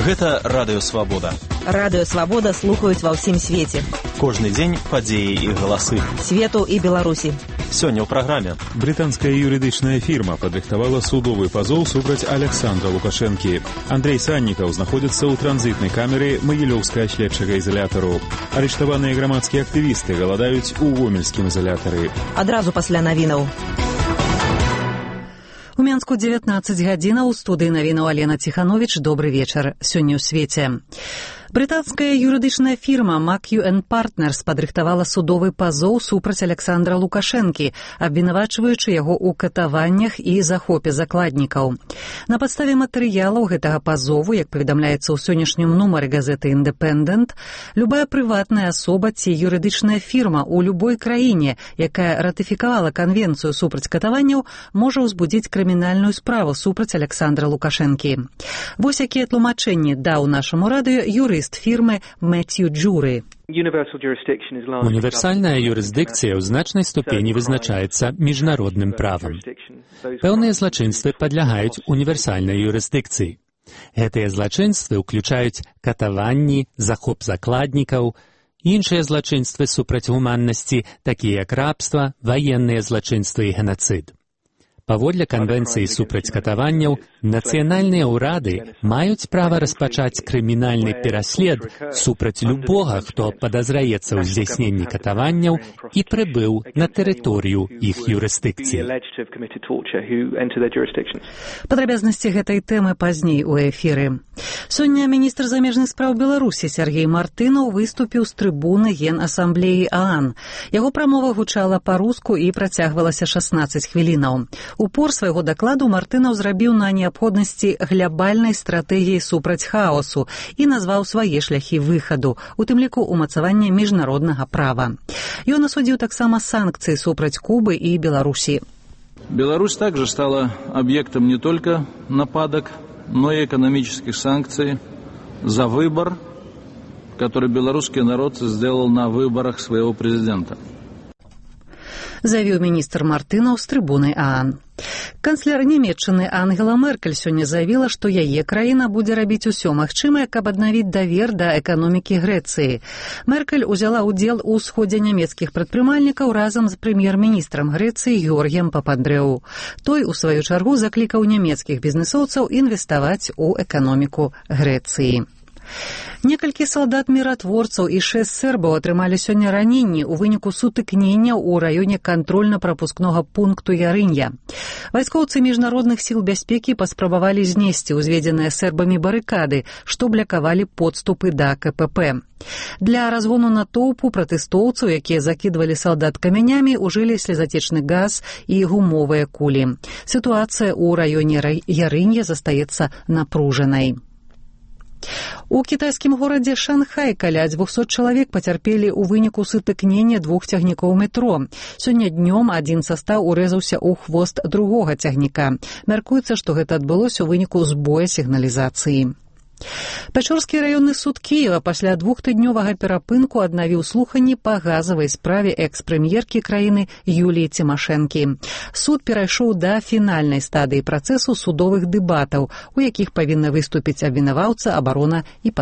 Гэта Радыё Свабода. Радыё Свабода слухаюць ва ўсім свеце. Кожны дзень падзеі і галасы. Свету і Беларусі. Сёння ў праграме. Брытанская юрыдычная фірма падрыхтавала судовы пазоў супраць Александра Лукашэнкі. Андрей Саннікаў знаходзіцца ў транзітнай камеры Магілёўскага следчага ізалятару. Арыштаваныя грамадскія актывісты галадаюць у гомельскім ізалятары. Адразу пасля навінаў. У Менску 19 гадзінаў, у студыі навінаў Алена Ціхановіч. Добры вечар. Сёння ў свеце. Брытанская юрыдычная фірма McEwen Partners падрыхтавала судовы пазоў супраць Александра Лукашэнкі, абвінавачваючы яго ў катаваннях і захопе закладнікаў. На падставе матэрыялаў гэтага пазову, як паведамляецца ў сённяшнім нумары газеты «Independent», любая прыватная асоба ці юрыдычная фірма ў любой краіне, якая ратыфікавала канвенцыю супраць катаванняў, можа ўзбудзіць крымінальную справу супраць Александра Лукашэнкі. Вось якія тлумачэнні даў нашаму радыё юрыст фірмы Мэцью Джуры. Універсальная юрысдыкцыя ў значнай ступені вызначаецца міжнародным правам. Пэўныя злачынствы падлягаюць універсальнай юрысдыкцыі. Гэтыя злачынствы ўключаюць катаванні, захоп закладнікаў, іншыя злачынствы супраць гуманнасці, такія як рабства, ваенныя злачынствы і генацыд. Паводле канвенцыі супраць катаванняў, нацыянальныя ўрады маюць права распачаць крымінальны пераслед супраць любога, хто падазраецца ў здзяйсненні катаванняў і прыбыў на тэрыторыю іх юрысдыкцыі. Падрабязнасці гэтай тэмы пазней у эфіры. Сёння міністр замежных спраў Беларусі Сергей Мартынаў выступіў з трыбуны Генасамблеі ААН. Яго прамова гучала па-руску і працягвалася 16 хвілінаў. Упор свайго дакладу Мартынаў зрабіў на неабходнасці глябальнай стратэгіі супраць хаосу і назваў свае шляхі выхаду, у тым ліку ўмацавання міжнароднага права. Ён асудзіў таксама санкцыі супраць Кубы і Беларусі. Беларусь также стала объектом не только нападок, но и экономических санкций за выбор, который белорусский народ сделал на выборах своего президента. Заявіў міністр Мартынаў з трыбуны ААН. Канцлер Нямецчыны Ангела Меркель сёння заявіла, што яе краіна будзе рабіць усё магчымае, каб аднавіць давер да эканомікі Грэцыі. Меркель узяла ўдзел у сходзе нямецкіх прадпрымальнікаў разам з прэм'ер-міністрам Грэцыі Георгіем Папандрэу. Той, у сваю чаргу, заклікаў нямецкіх бізнэсоўцаў інвеставаць у эканоміку Грэцыі. Некалькі салдат-міратворцаў і 6 сербаў атрымалі сёння раненні ў выніку сутыкнення ў раёне кантрольна-прапускнога пункту Ярынья. Вайскоўцы міжнародных сіл бяспекі паспрабавалі знесці ўзведзеныя сербамі барыкады, што блакавалі подступы да КПП. Для разгону натоўпу пратэстоўцаў, якія закідвалі салдат камянямі, ужылі слезатечны газ і гумовыя кулі. Сітуацыя ў раёне Ярынья застаецца напружанай. У кітайскім горадзе Шанхай каля 200 чалавек пацярпелі ў выніку сутыкнення 2 цягнікоў метро. Сёння днём адзін састаў урэзаўся ў хвост другога цягніка. Мяркуецца, што гэта адбылося ў выніку збоя сігналізацыі. Пячорскі раённы суд Кіева пасля 2-тыднёвага перапынку аднавіў слуханні па газавай справе экс-прэм'еркі краіны Юліі Цімашэнкі. Суд перайшоў да фінальнай стадыі працэсу судовых дэбатаў, у якіх павінны выступіць абвінаваўца, абарона і